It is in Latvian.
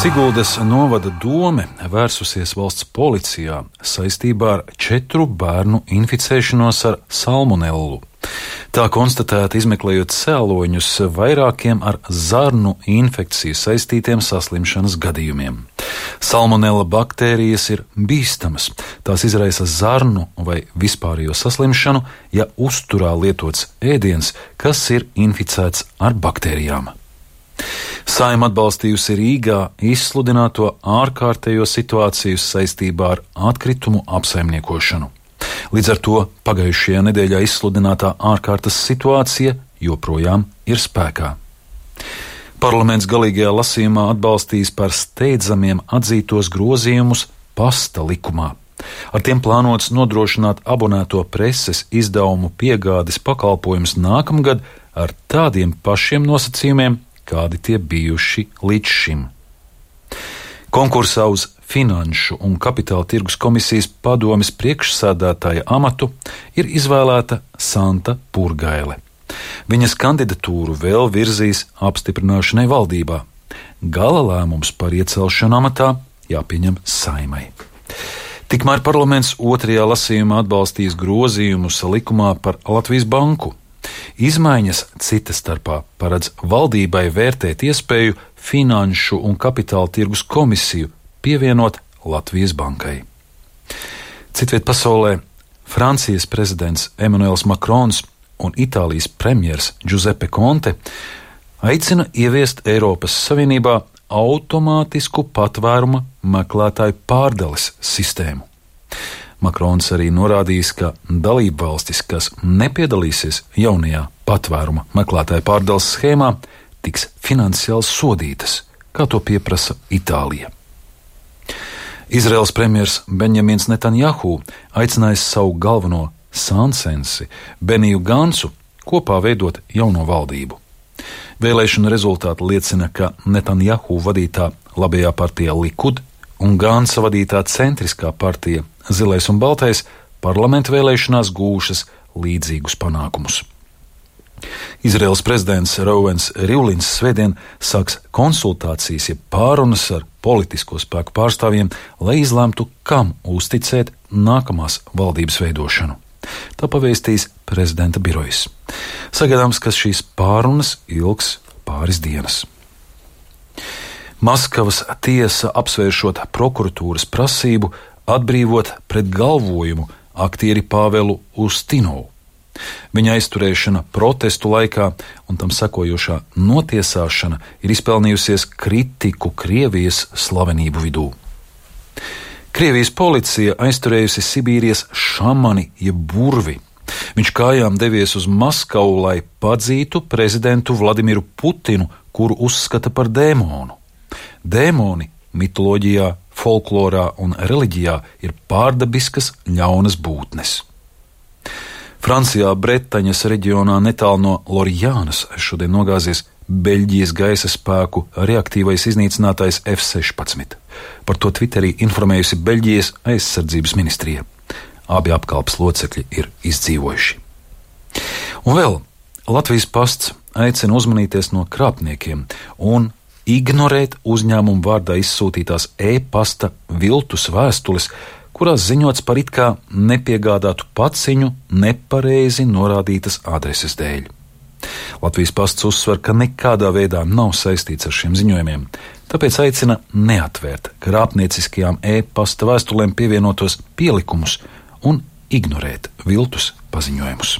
Siguldas novada dome vērsusies valsts policijā saistībā ar 4 bērnu inficēšanos ar salmonellu. Tā konstatēta izmeklējot cēloņus vairākiem ar zarnu infekciju saistītiem saslimšanas gadījumiem. Salmonella baktērijas ir bīstamas. Tās izraisa zarnu vai vispārējo saslimšanu, ja uzturā lietots ēdiens, kas ir inficēts ar baktērijām. Saeima atbalstījusi Rīgā izsludināto ārkārtējo situāciju saistībā ar atkritumu apsaimniekošanu. Līdz ar to pagājušajā nedēļā izsludinātā ārkārtas situācija joprojām ir spēkā. Parlaments galīgajā lasījumā atbalstīs par steidzamiem atzītos grozījumus pasta likumā. Ar tiem plānots nodrošināt abonēto preses izdevumu piegādes pakalpojumus nākamgad ar tādiem pašiem nosacījumiem, kādi tie bijuši līdz šim. Konkursā uz Finanšu un Kapitāla tirgus komisijas padomes priekšsēdētāja amatu ir izvēlēta Santa Purgaile. Viņas kandidatūru vēl virzīs apstiprināšanai valdībā. Gala lēmums par iecelšanu amatā jāpieņem Saeimai. Tikmēr parlaments otrajā lasījumā atbalstīs grozījumus likumā par Latvijas banku. Izmaiņas cita starpā paredz valdībai vērtēt iespēju Finanšu un Kapitāla tirgus komisiju pievienot Latvijas bankai. Citviet pasaulē Francijas prezidents Emmanuels Macrons un Itālijas premjers Giuseppe Conte aicina ieviest Eiropas Savienībā automātisku patvēruma meklētāju pārdales sistēmu. Makrons arī norādījis, ka dalībvalstis, kas nepiedalīsies jaunajā patvēruma meklētāju pārdales schēmā, tiks finansiāli sodītas, kā to pieprasa Itālija. Izraels premjers Benjamins Netanjahu aicinājis savu galveno sānsensi Beniju Gansu kopā veidot jauno valdību. Vēlēšanu rezultāti liecina, ka Netanjahu vadītā labajā partija Likud un Gansa vadītā centriskā partija Zilais un Baltais parlamentu vēlēšanās gūšas līdzīgus panākumus. Izraels prezidents Reuvens Rivlins svētdien sāks konsultācijas, jeb pārunas ar politisko spēku pārstāvjiem, lai izlemtu, kam uzticēt nākamās valdības veidošanu. Tā pavēstīs prezidenta birojas. Sagaidāms, ka šīs pārunas ilgs pāris dienas. Maskavas tiesa apsvēršot prokuratūras prasību atbrīvot pret galvojumu aktieri Pāvelu Ustinovu. Viņa aizturēšana protestu laikā un tam sekojošā notiesāšana ir izpelnījusies kritiku Krievijas slavenību vidū. Krievijas policija aizturējusi Sibīrijas šamani jeb burvi. Viņš kājām devies uz Maskavu, lai padzītu prezidentu Vladimiru Putinu, kuru uzskata par dēmonu. Dēmoni mitoloģijā, folklorā un reliģijā ir pārdabiskas ļaunas būtnes. Francijā Bretaņas reģionā netālu no Lorjānas šodien nogāzies Beļģijas gaisa spēku reaktīvais iznīcinātājs F-16. Par to Twitterī informējusi Beļģijas aizsardzības ministrija. Abi apkalpes locekļi ir izdzīvojuši. Un vēl Latvijas pasts aicina uzmanīties no krāpniekiem un ignorēt uzņēmumu vārdā izsūtītās e-pasta viltus vēstules, kurās ziņots par it kā nepiegādātu paciņu nepareizi norādītas adreses dēļ. Latvijas pasts uzsver, ka nekādā veidā nav saistīts ar šiem ziņojumiem, tāpēc aicina neatvērt krāpnieciskajām e-pasta vēstulēm pievienotos pielikumus un ignorēt viltus paziņojumus.